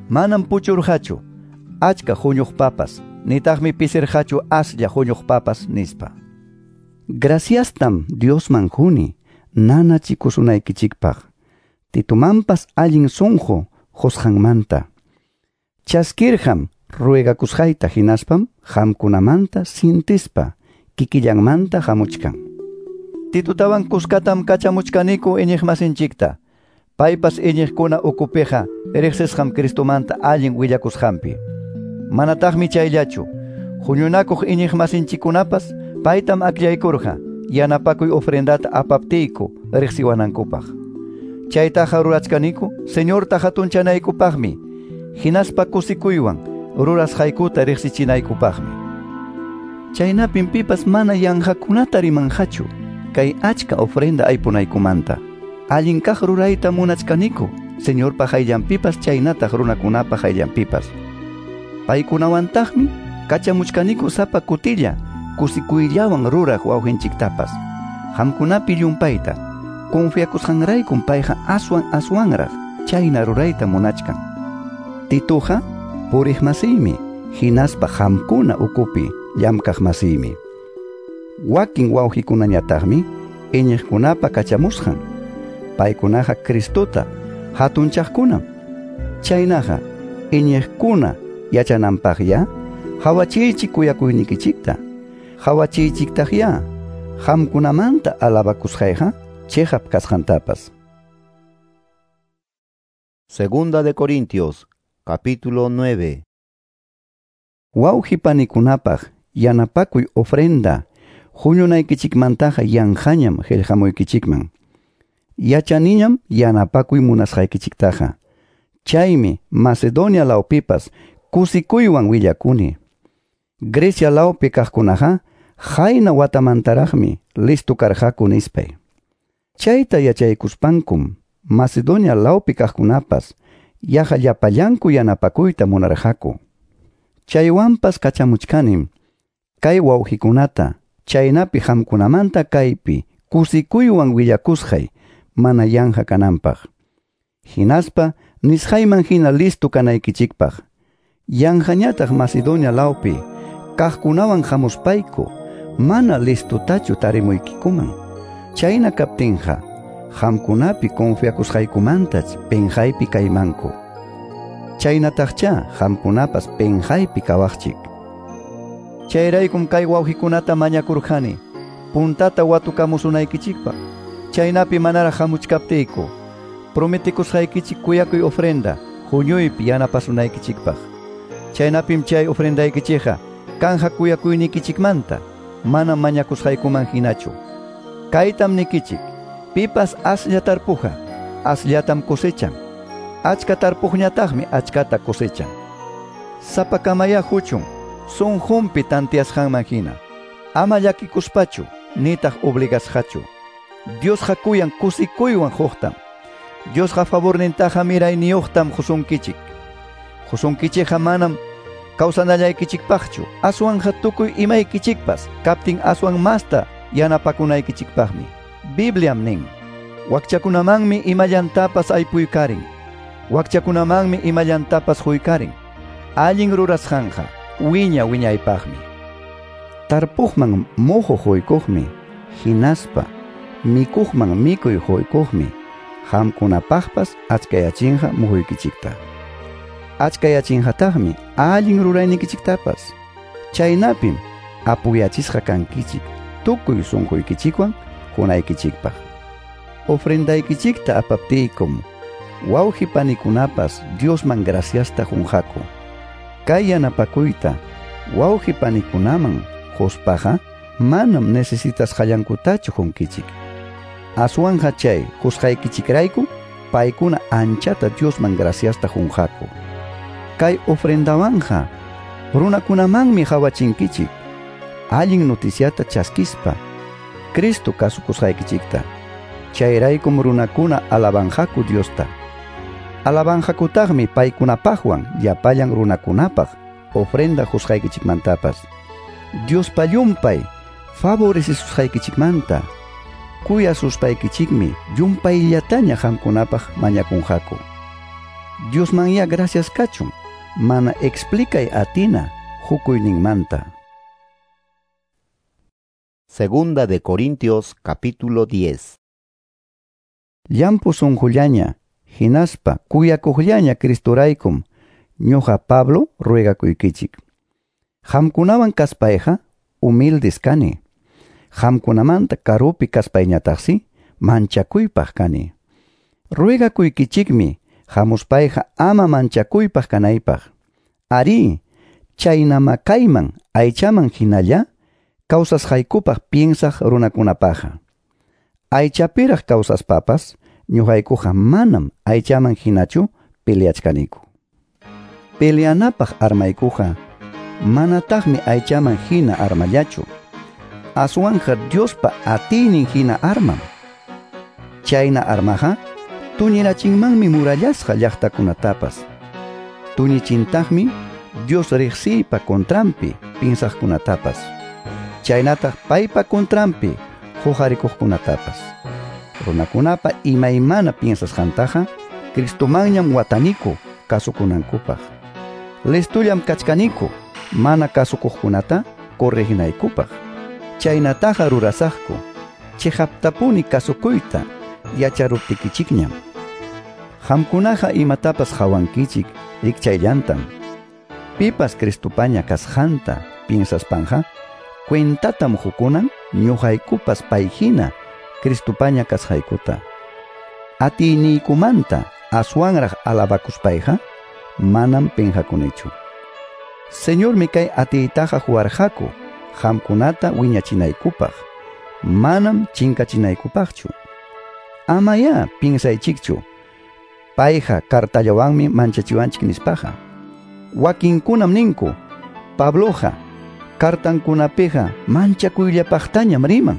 manam puchurqachu achka huñuqpapas, nitaqmi pisirqachu aslla huñuqpapas nispa. Graciastam Diosman huni nanachikusunaykichikpaq. Titumanpas allin sunqu qusqanmanta. Chaskirqam ruegakusqayta hinaspam qamkunamanta sintispa kikillanmanta hamuchkan. Titutawan kuskatam kachamuchkaniku iñiqmasinchikta. Paypas iñiqkuna ukupiqa riqsisqam Cristomanta allin willakusqanpi. Manataqmi chayllachu. Huñunakuq iñiqmasinchikkunapas paytam akllaykurqa yanapakuy ofrendata apaptiyku riqsiwanankupaq. Chaytaqa rurachkaniku Señorta hatunchanaykupaqmi, hinaspa kusikuywan rurasqaykuta riqsichinaykupaqmi. Chaynapim pipas mana yanqakunata rimanqachu kay achka ofrenda aypunaykumanta. Allin kaq rurayta munachkaniku Señorpa hayllanpipas chaynataq runakunapa hayllanpipas. Paykunawantaqmi kachamuchkaniku sapa kutilla kusikuyllawan ruraq wawqinchiktapas. Qamkunapi llumpayta confiakusqanraykum payqa aswan aswanraq chayna rurayta munachkan. Tituqa puriqmasiymi hinaspa qamkuna ukupi llamkaqmasiymi. Wakin wawqikunañataqmi iñiqkunapa kachamusqan. Paykunaqa Cristota hatunchaqkunam. Chaynaqa iñiqkuna yachananpaqya hawachiychik kuyakuynikichikta. Hawachiychiktaqya qamkunamanta alabakusqayqa chiqap kasqantapas. Segunda de Corintios, capítulo nueve. Wawqi panikunapaq yanapakuy ofrenda huñunaykichikmantaqa yanqañam qillqamuykichikman. Yachaniñam yanapakuy munasqaykichiktaqa. Chaymi Macedonia lawpipas kusikuywan willakuni. Grecia lawpi kaqkunaqa hayna watamantaraqmi listo karqaku nispay. Chayta yachaykuspankum Macedonia lawpi kaqkunapas yaqa llapallanku yanapakuyta munarqaku. Chaywanpas kachamuchkanim kay wawqikunata chaynapi qamkunamanta kaypi kusikuywan willakusqay mana yanqa kananpaq. Hinaspa nisqayman hina listo kanaykichikpaq. Yanqañataq Macedonia lawpi kaqkunawan hamuspayku mana listotachu tarimuykikuman. Chayna kaptinqa qamkunapi confiakusqaykumantach penqaypi kaymanku. Chaynataqcha qamkunapas penqaypi kawaqchik. Chayraykum kay wawqikunata mañakurqani puntata watukamusunaykichikpaq. Chaynapi manaraq hamuchkaptiyku prometikusqaykichik kuyakuy ofrenda huñuypi yanapasunaykichikpaq. Chaynapim chay ofrendaykichikqa kanja kuyakuynikichikmanta mana mañakusqaykuman hinachu. Kaytam nikichik, pipas aslla tarpuqa asllatam cosechan. Achka tarpuqñataqmi achkata cosechan. Sapakamaya huchun sunqunpi tantiasqanman hina. Ama llakikuspachu nitaq obligasqachu. Diosqa kuyan kusikuywan huqtam. Diosqa favornintaqa mirayniyuqtam husunkichik. Husunkichikqa manam kawsanallaykichikpaqchu, aswanja tukuy imaykichikpas kaptin aswan masta yanapakunaykichikpaqmi. Bibliam nin, wakchakunamanmi imallantapas aypuykarin, wakchakunamanmi imallantapas huykarin. Allin rurasqanqa wiña wiñaypaqmi. Tarpuqman muhu huykuqmi, hinaspa mikuqman mikuy huykuqmi, qamkunapaqpas achkayachinqa muhuykichikta. Achkayachinqataqmi allin ruraynikichiktapas. Chaynapim apuyachisqa kankichik tukuy sunquykichikwan hunaykichikpaq. Ofrendaykichikta apaptiykum wawqi panikunapas Diosman graciasta qunqaku. Kay yanapakuyta wawqi panikunaman quspaqa manam necesitasqallankutachu qunkichik. Aswanja chay qusqaykichikrayku paykuna anchata Diosman graciasta qunqaku. Kay ofrendawanja runakunamanmi qawachinkichik allin noticiata chaskispa Cristo kasukusqaykichikta. Chayraykum runakuna alabanqaku Diosta. Alabanqakutaqmi paykunapaqwan llapallan runakunapaq ofrenda qusqaykichikmantapas. Diospa llumpay favorecisusqaykichikmanta kuyasuspaykichikmi llumpayllataña qamkunapaq mañakunqaku. Diosmanya gracias kachun mana explicay atina hukuyninmanta. Segunda de Corintios capítulo diez. Llampu sunqullaña hinaspa kuyakuqllaña Cristoraykum ñuqa Pablo ruegakuykichik. Qamkunawan kaspayqa humildes kani. Qamkunamanta karupi kaspayñataqsi manchakuypaq kani. Ruegakuykichikmi hamuspayqa ama manchakuypaq kanaypaq. Ari, chaynama kayman aychaman hinalla kawsasqaykupaq piensaq runakunapaqqa. Aychapiraq kawsaspapas ñuqaykuqa manam aychaman hinachu peleachkaniku. Peleanapaq armaykuqa manataqmi aychaman hina armallachu. Aswanja Diospa atiynin hina armam. Chayna armaqa tuñirachinmanmi murallasqa llaqtakunatapas. Tuñichintaqmi Dios riqsiypa contranpi pinsaqkunatapas. Chaynataq paypa contranpi huqarikuqkunatapas. Runakunapa imaymana piensasqantaqa Cristomanñam wataniku kasukunankupaq. Listullam kachkaniku mana kasukuqkunata correginaykupaq. Chaynataqa rurasaqku chiqaptapuni kasukuyta yacharuptikichikñam. Qamkunaqa imatapas qawankichik rikchayllantam. Pipas Cristopaña kasqanta piensaspanqa cuentatam hukunan ñuqaykupas payhina Cristopaña kasqaykuta. Atiyniykumanta aswanraq alabakuspayqa manam pinqakunichu. Señormi kay atiytaqa huwarqaku qamkunata wiñachinaykupaq, manam chinkachinaykupaqchu. Amaya pinsaychikchu payqa kartallawanmi manchachiwanchik nispaqa. Wakinkunam ninku Pabloqa kartankunapiqa manchakuyllapaqtañam riman.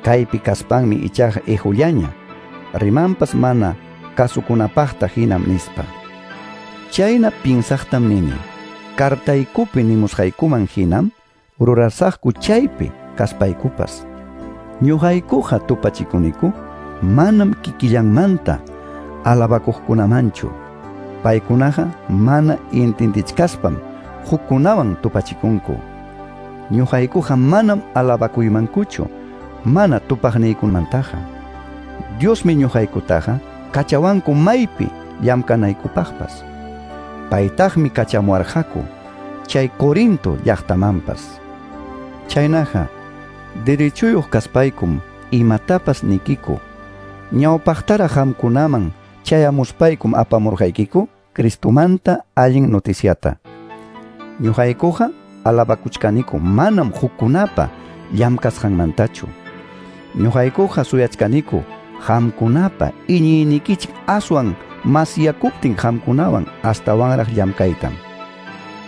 Kaypi kaspanmi ichaqa ihullaña rimanpas mana kasukunapaqta hinam nispa. Chayna pinsaqtam nini kartaykupi nimusqaykuman hinam rurasaqku chaypi kaspaykupas. Ñuqaykuqa tupachikuniku manam kikillanmanta alabakuqkunamanchu. Paykunaqa mana intindichkaspam hukkunawan tupachikunku. Ñuqaykuqa manam alabakuymankuchu mana tupaqniykumantaqa. Diosmi ñuqaykutaqa kachawanku maypi llamkanaykupaqpas. Paytaqmi kachamuwarqaku chay Corinto llaqtamanpas. Chaynaqa derechuyuq kaspaykum imatapas nikiku. Ñawpaqtaraq qamkunaman chayamuspaykum apamurqaykiku Cristomanta allin noticiata. Ñuqaykuqa alabakuchkaniku manam hukkunapa llamkasqanmantachu. Ñuqaykuqa suyachkaniku qamkunapa iñiynikichik aswan masyakuptin qamkunawan astawanraq llamkaytam.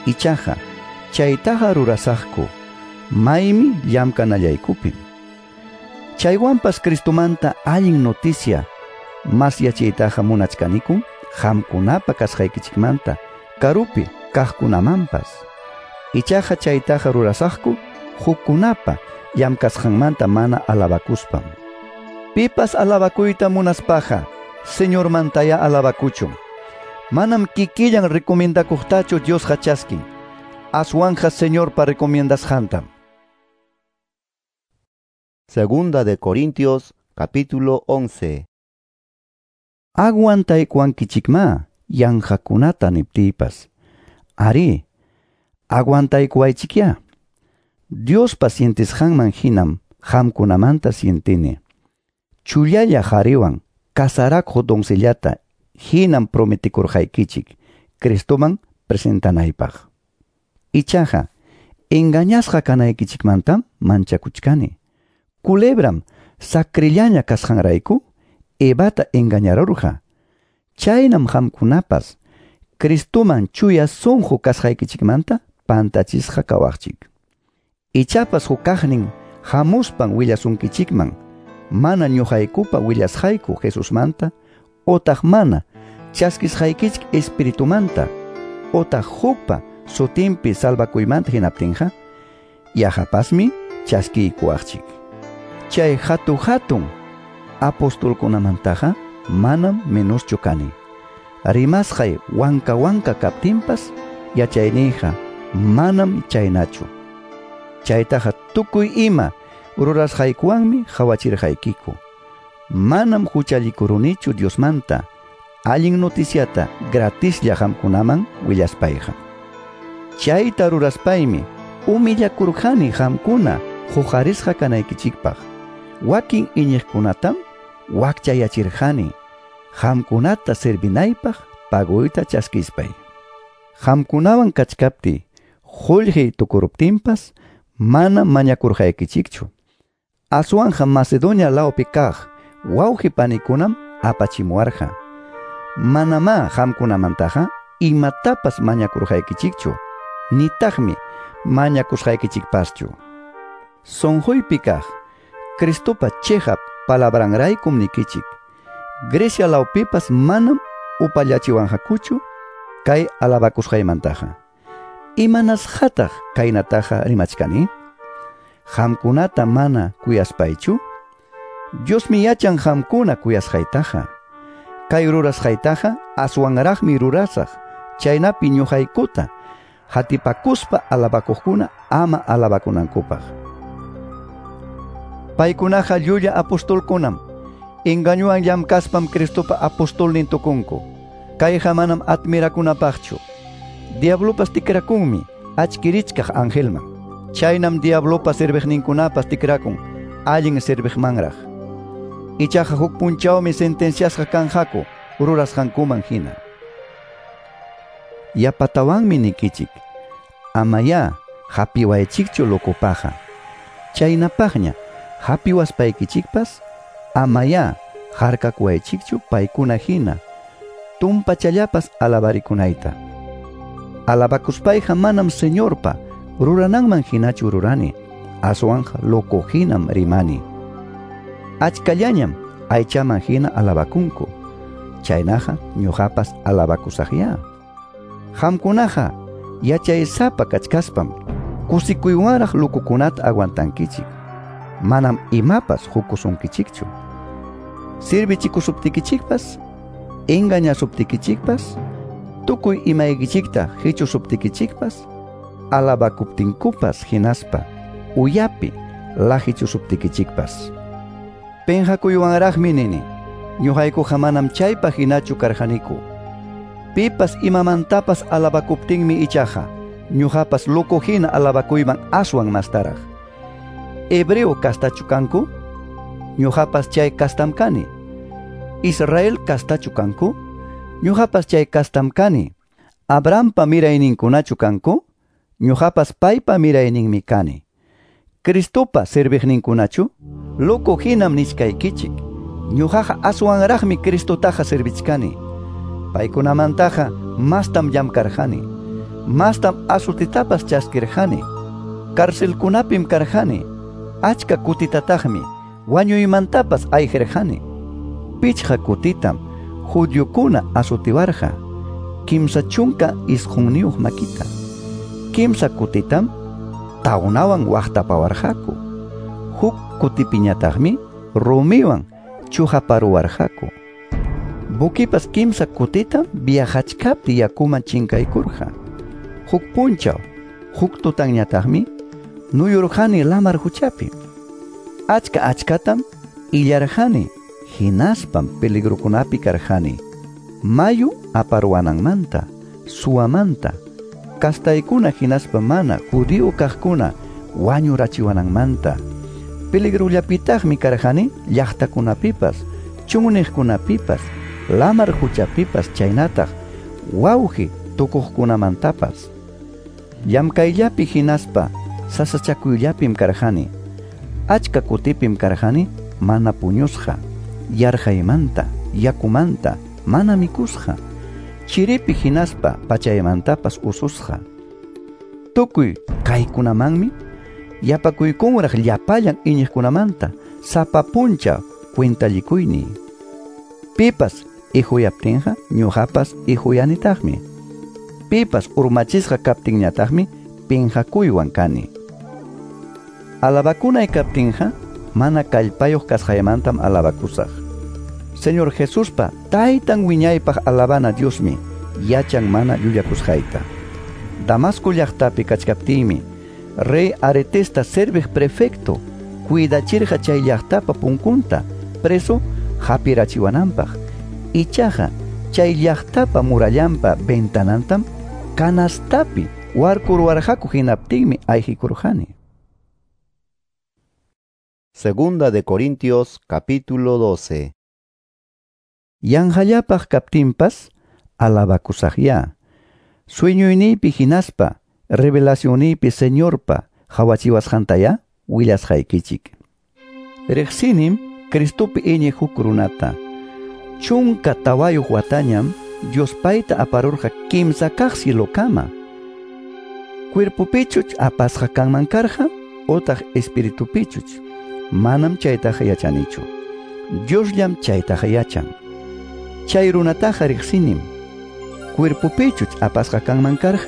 Ichaqa chaytaqa rurasaqku maymi llamkanallaykupim. Chaywanpas Cristomanta allin noticia masyachiytaqa munachkanikum qamkunapa kasqaykichikmanta karupi kaqkunamanpas. Ichaqa chaytaqa rurasaqku hukkunapa llamkasqanmanta mana alabakuspam. Pipas alabakuyta munaspaqa Señormantaya alabakuchun. Manam kikillan recomendakuqtachu Diosqa chaskin. Aswanja Señorpa recomiendasqantam. Segunda de Corintios capítulo once. Aguantaykuwankichikma yanqakunata niptiypas. Ari, aguantaykuwaychikya. Diospa sientisqanman hinam qamkunamanta sientini. Chullalla qhariwan kasarakuq doncellata Hinam prometikurqaykichik Cristoman presentanaypaq. Ichaqa engañasqa kanaykichikmantam manchakuchkani. Culebram sacrillaña kasqanrayku Evata engañarurqa. Chaynam qamkunapas Cristoman chuya sunqu kasqaykichikmanta pantachisqa kawaqchik. Ichapas hukaqnin hamuspan willasunkichikman mana ñuqaykupa willasqayku Jesusmanta otaq mana chaskisqaykichik espiritumanta otaq hukpa sutinpi salvakuymanta hinaptinqa yaqapasmi chaskiykuwaqchik. Chay hatu-hatun apostolkunamantaqa manam menoschu kani. Rimasqay wanka wanka kaptinpas yachayniyqa manam chaynachu. Chaytaqa tukuy ima rurasqaykuwanmi qhawachirqaykiku. Manam huchallikurunichu Diosmanta allin noticiata gratislla qamkunaman willaspayqa. Chayta ruraspaymi humillakurqani qamkuna huqarisqa kanaykichikpaq. Wakin iñiqkunatam wakchayachirqani qamkunata servinaypaq pagoyta chaskispay. Qamkunawan kachkaptiy qullqiy tukuruptinpas manam mañakurqaykichikchu. Aswanja Macedonia lawpi kaq wawqi panikunam apachimuwarqa. Manamá qamkunamantaqa imatapas mañakurqaykichikchu, nitaqmi mañakusqaykichikpaschu. Sunquypi kaq Cristopa chiqap palabranraykum nikichik. Grecia lawpipas manam upallachiwanqakuchu kay alabakusqaymantaqa. Imanasqataq kaynataqa rimachkani? Qamkunata mana kuyaspaychu? Diosmi yachan qamkuna kuyasqaytaqa. Kay rurasqaytaqa aswanraqmi rurasaq, chaynapi ñuqaykuta hatipakuspa alabakuqkuna ama alabakunankupaq. Paykunaqa llulla apostolkunam, engañuwan llamkaspam Cristopa apostolnin tukunku. Kayqa manam admirakunapaqchu. Diablopas tikrakunmi achkirichkaq angelman. Chaynam diablopa serviqninkunapas tikrakun allin serviqmanraq. Ichaqa huk punchawmi sentenciasqa kanqaku rurasqankuman hina. Yapatawanmi nikichik, amayá hapiwaychikchu locopaqa. Chaynapaqña hapiwaspaykichikpas amayá harkakuwaychikchu paykuna hina tumpachallapas alabarikunayta. Alabakuspayqa manam Señorpa rurananman hinachu rurani, aswanqa loco hinam rimani. Achkallañam aychaman hina alabakunku, chaynaqa ñuqapas alabakusaqya. Qamkunaqa yachaysapa kachkaspam kusikuywanraq locokunata aguantankichik. Manam imapas hukusunkichikchu. Servichikusuptikichikpas, engañasuptikichikpas, tukuy imaykichikta hichusuptikichikpas, alabakuptinkupas hinaspa uyapi lahichusuptikichikpas. Penqakuywanraqmi nini, ñuqaykuqa manam chaypaq hinachu karqaniku. Pipas imamantapas alabakuptinmi ichaqa ñuqapas loco hina alabakuyman aswan mastaraq. Hebreo kastachu kanku? Ñuqapas chay kastam kani. Israel kastachu kanku? Ñuqapas chay kastam kani. Abrahampa mirayninkunachu kanku? Ñuqapas paypa mirayninmi kani. Cristopa serviqninkunachu? Loco hinam nichkaykichik. Ñuqaqa aswanraqmi Cristotaqa servichkani. Paykunamantaqa mastam llamkarqani. Mastam azotitapas chaskirqani. Carcelkunapim karqani. Achka kutitataqmi wañuymantapas ayqirqani. Pichqa kutitam judiokuna azotiwarqa, kimsa chunka isqunniyuq makita. Kimsa kutitam tawnawan waqtapawarqaku. Huk kutipiñataqmi rumiwan chuqaparuwarqaku. Buquipas kimsa kutitam viajachkapti yakuman chinkaykurqa. Huk punchaw, huk tutanñataqmi nuyurqani lamar huchapi. Achka achkatam illarqani, hinaspam peligrokunapi karqani. Mayu aparuwananmanta, suwamanta, kastaykuna hinaspa mana judío kaqkuna wañurachiwananmanta. Peligrollapitaqmi karqani llaqtakunapipas, chunniqkunapipas, lamar huchapipas chaynataq wawqi tukuqkunamantapas. Llamkayllapi hinaspa sasachakuyllapim karqani. Achka kutipim karqani mana puñusqa, yarqaymanta, yakumanta, mana mikusqa, chiripi hinaspa pachaymantapas ususqa. Tukuy kaykunamanmi yapakuykunraq llapallan iñiqkunamanta sapa punchaw cuentallikuyniy. Pipas ihuyaptinqa ñuqapas ihuyanitaqmi. Pipas urmachisqa kaptinñataqmi pinqakuywan kani. Alabakunay kaptinqa mana kallpayuq kasqaymantam alabakusaq. Señor Jesuspa taytan wiñaypaq alabana Diosmi yachan mana llullakusqayta. Damasco llaqtapi kachkaptiymi rey Aretesta serviq prefecto cuidachirqa chay llaqtapa punkunta preso hapirachiwananpaq. Ichaqa chay llaqtapa murallanpa ventanantam canastapi warkurwarqaku hinaptinmi ayqikurqani. Segunda de Corintios capítulo doce. Yanqallapaq kaptinpas alabakusaqya. Sueñoyniypi hinaspa revelacionniypi Señorpa hawachiwasqantaya willasqaykichik. Riqsinim Cristopi iñiq huk runata. Chunka tawayuq watañam Dios payta aparurqa kimsa kaq cielokama. Cuerpopichuch apasqa kanman karqa otaq espiritupichuch. Manam chaytaqa yachanichu. Diosllam chaytaqa yachan. Chay runataqa riqsinim. Cuerpopichuch apasqa kanman karqa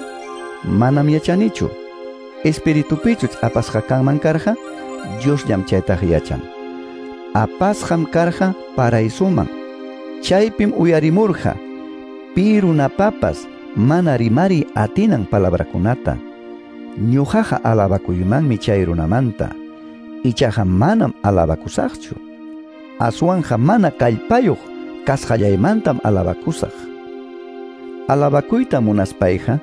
manam yachanichu. Espiritupichuch apasqa kanman karqa Diosllam chaytaqa yachan. Apasqam karqa paraisuman. Chaypim uyarimurqa pi runapapas mana rimari atinan palabrakunata. Ñuqaqa alabakuymanmi chay runamanta. Ichaqa manam alabakusaqchu. Aswanja mana kallpayuq kasqallaymantam alabakusaq. Alabakuyta munaspayqa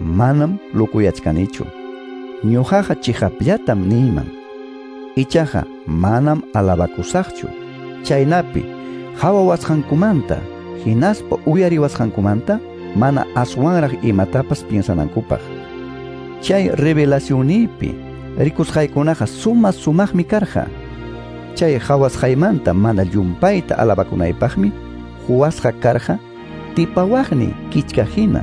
manam lukuyachkanichu. Ñuqaqa chiqapllatam niyman. Ichaqa manam alabakusaqchu. Chaynapi hawawasqankumanta hinaspa uyariwasqankumanta mana aswanraq imatapas piensanankupaq. Chay revelacionniypi rikusqaykunaqa suma sumaqmi karqa. Chay hawasqaymanta mana llumpayta alabakunaypaqmi huwasqa karqa tipawaqni kichka hina.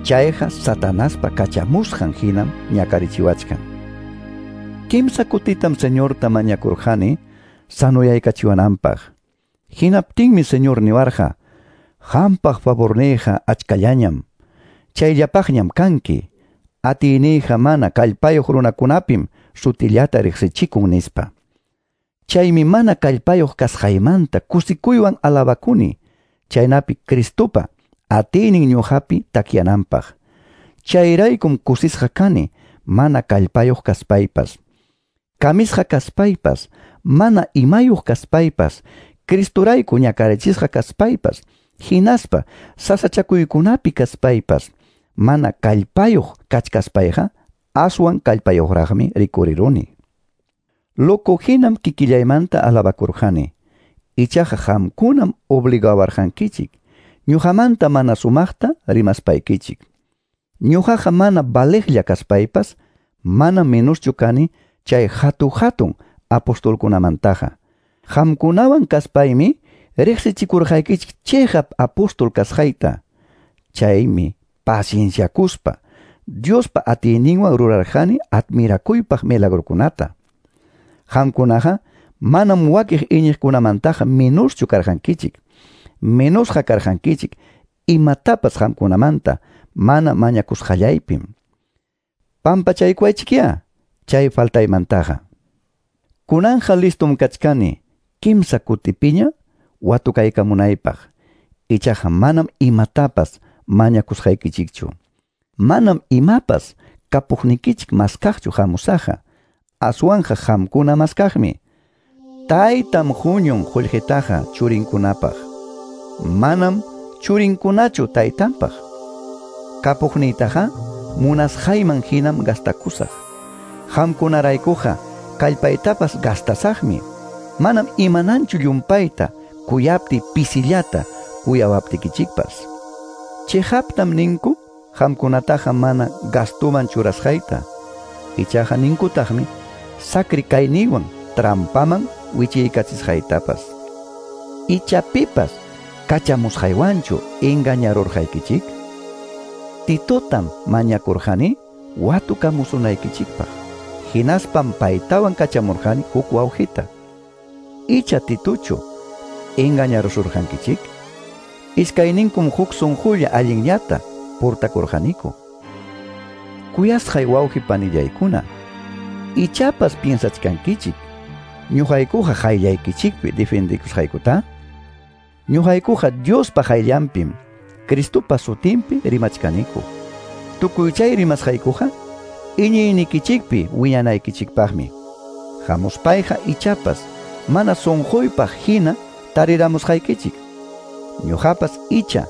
Chayqa Satanaspa kachamusqan hinam ñakarichiwachkan. Kimsa kutitam Señorta mañakurqani sanoyaykachiwananpaq. Hinaptinmi Señor niwarqa, qampaq favorniyqa achkallañam, chayllapaqñam kanki, atiyniyqa mana kallpayuq runakunapim sutillata riqsichikun nispa. Chaymi mana kallpayuq kasqaymanta kusikuywan alabakuni, chaynapi Cristopa atiynin ñuqapi takyananpaq. Chayraykum kusisqa kani mana kallpayuq kaspaypas. Kamisqa kaspaypas, mana imayuq kaspaypas, Cristorayku ñakarichisqa kaspaypas, hinaspa sasachakuykunapi kaspaypas, mana kallpayuq kachkaspayqa aswan kallpayuqraqmi rikuriruni. Loco hinam kikillaymanta alabakurqani. Ichaqa qamkunam obligawarqankichik, ñuqamanta mana sumaqta rimaspaykichik. Ñuqaqa mana valeqlla kaspaypas, mana menoschu kani chay hatu-hatun apostolkunamantaqa. Qamkunawan kaspaymi riqsichikurqaykichik chiqap apóstol kasqayta. Chaymi pacienciakuspa Diospa atiyninwan rurarqani admirakuypaq milagrokunata. Qamkunaqa manam wakiq iñiqkunamantaqa menoschu karqankichik. Menosqa karqankichik imatapas qamkunamanta mana mañakusqallaypim. Pampachaykuwaychikyá chay faltaymantaqa. Kunanja listum kachkani kimsa kutipiña watukaykamunaypaq. Ichaqa manam imatapas mañakusqaykichikchu. Manam imapas kapuqnikichik maskaqchu hamusaqqa. Aswanja qamkuna maskaqmi. Taytam huñun qullqitaqa churinkunapaq. Manam churinkunachu taytanpaq. Kapuqniytaqa munasqayman hinam gastakusaq. Qamkunaraykuqa kallpaytapas gastasaqmi. Manam imananchu llumpayta kuyapti pisillata kuyawaptikichikpas. Chihaptam ninku qamkunataqa mana gastuman churasqayta. Ichaqa ninkutaqmi sakri kayniwan trampaman wichiykachisqaytapas. Icha pipas kachamusqaywanchu engañarurqaykichik? Titotam mañakurqani watukamusunaykichikpaq. Hinaspam paytawan kachamurqani huk wawqita. Icha Titochu engañarusurqankichik? Iskayninkum huk sunqulla allinllata portakurqaniku. Kuyasqay wawqi panillaykuna, ichapas piensachkankichik ñuqaykuqa qayllaykichikpi defendikusqaykuta? Ñuqaykuqa Diospa qayllanpim Cristopa sutinpi rimachkaniku. Tukuy chay rimasqaykuqa iñiynikichikpi wiñanaykichikpaqmi. Hamuspayqa ichapas mana sunquypaq hina tariramusqaykichik. Ñuqapas icha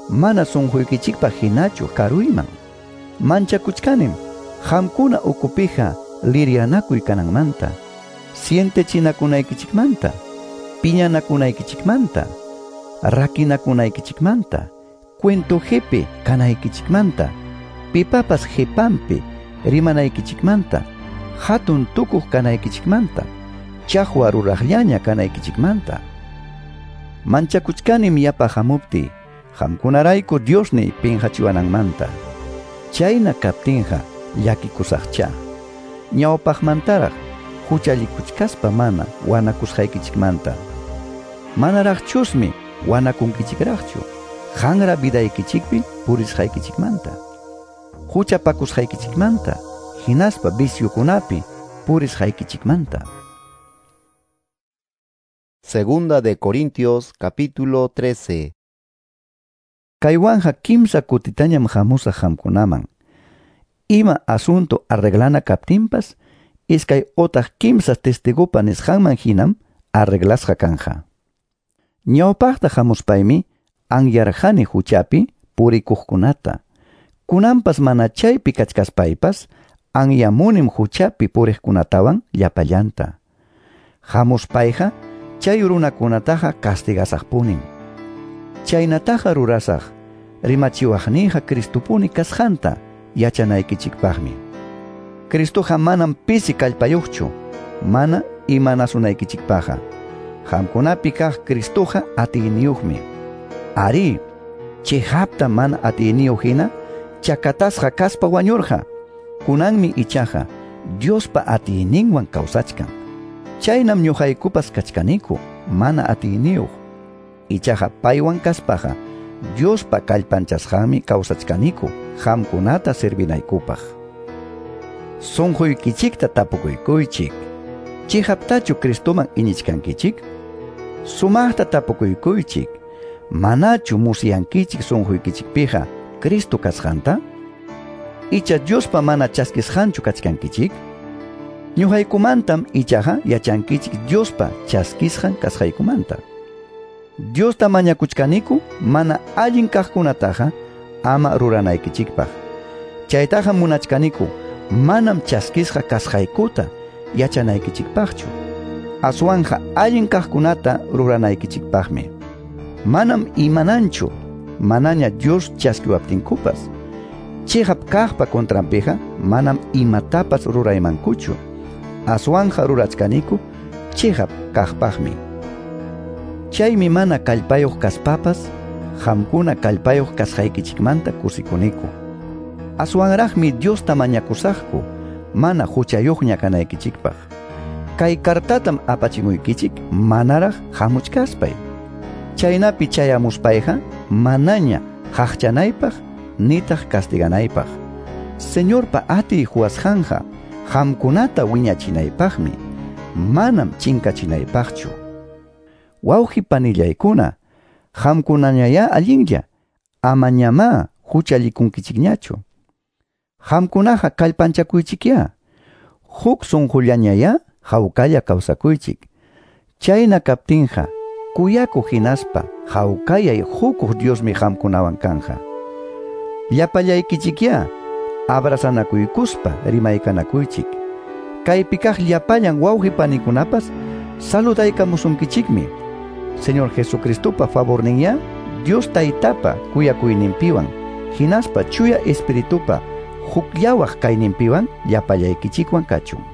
mana sunquykichikpaq hinachu karuyman. Manchakuchkanim qamkuna ukupija lirianakuy kananmanta, sientechinakunaykichikmanta, piñanakunaykichikmanta, rakinakunaykichikmanta, cuento jepe kanaykichikmanta, pipapas jepanpi rimanaykichikmanta, hatun tukuq kanaykichikmanta, chaqwa ruraqllaña kanaykichikmanta. Manchakuchkanim yapa hamuptiy, qamkunarayku Diosniy pinqachiwananmanta. Chayna kaptinqa llakikusaqcha. Ñawpaqmantaraq huchallikuchkaspa mana wanakusqaykichikmanta. Manaraqchusmi wanakunkichikraqchu qanra vidaykichikpi purisqaykichikmanta, huchapakusqaykichikmanta, hinaspa viciokunapi purisqaykichikmanta. Segunda de Corintios capítulo trece. Kaywanja kimsa kutitañam hamusaq qamkunaman. Ima asunto arreglana kaptinpas, iskay otaq kimsa testigupa nisqanman hinam arreglasqa kanja. Ñawpaqta hamuspaymi anyarqani huchapi purikuqkunata. Kunanpas mana chaypi kachkaspaypas anyamunim huchapi puriqkunatawan llapallanta. Hamuspayqa chay runakunataqa castigasaqpunim. Chaynataqa rurasaq rimachiwaqniyqa Cristopuni kasqanta yachanaykichikpaqmi. Cristoqa manam pisi kallpayuqchu, mana imanasunaykichikpaqqa. Qamkunapi kaq Cristoqa atiyniyuqmi. Ari, chihapta mana atiyniyuq hina chakatasqa kaspa wañurqa. Kunanmi ichaqa Diospa atiyninwan kawsachkan. Chaynam ñuqaykupas kachkaniku mana atiyniyuq. Ichaqa paywan kaspaqa Diospa kallpanchasqanmi kawsachkaniku qamkunata servinaykupaq. Sunquykichikta tapukuykuychik. Chihaptachu Cristoman iñichkankichik? Sumaqta tapukuykuychik. Manachu musyankichik sunquykichikpiqa Cristo kasqanta? Icha Diospa mana chaskisqanchu kachkankichik? Ñuqaykumantam ichaqa yachankichik Diospa chaskisqan kasqaykumanta. Diosta mañakuchkaniku mana allin kaqkunataqa ama ruranaykichikpaq. Chaytaqa munachkaniku manam chaskisqa kasqaykuta yachanaykichikpaqchu. Aswanja allin kaqkunata ruranaykichikpaqmi. Manam imananchu manaña Dios chaskiwaptinkupas. Chihap kaqpa contranpiqa manam imatapas ruraymankuchu. Aswanja rurachkaniku chihap kaqpaqmi. Chaymi mana kallpayuq kaspapas qamkuna kallpayuq kasqaykichikmanta kusikuniku. Aswanraqmi Diosta mañakusaqku mana huchayuqña kanaykichikpaq. Kay kartatam apachimuykichik manaraq hamuchkaspay. Chaynapi chayamuspayqa manaña qaqchanaypaq nitaq castiganaypaq. Señorpa atiy huwasqanqa qamkunata wiñachinaypaqmi, manam chinkachinaypaqchu. Wawqi panillaykuna, qamkunañayá allinlla, amañamá huchallikunkichikñachu. Qamkunaqa kallpanchakuychikyá, huk sunqullañayá hawkalla kawsakuychik. Chayna kaptinqa kuyakuq hinaspa hawkayay hukuq Diosmi qamkunawan kanja. Llapallaykichikyá abrazanakuykuspa rimaykanakuychik. Kaypi kaq llapallan wawqi panikunapas saludaykamusunkichikmi. Señor Jesucristopa favorninyá Dios Taytapa kuyakuyninpiwan hinaspa Chuya Espiritupa hukllawaq kayninpiwan llapallaykichikwan kachun.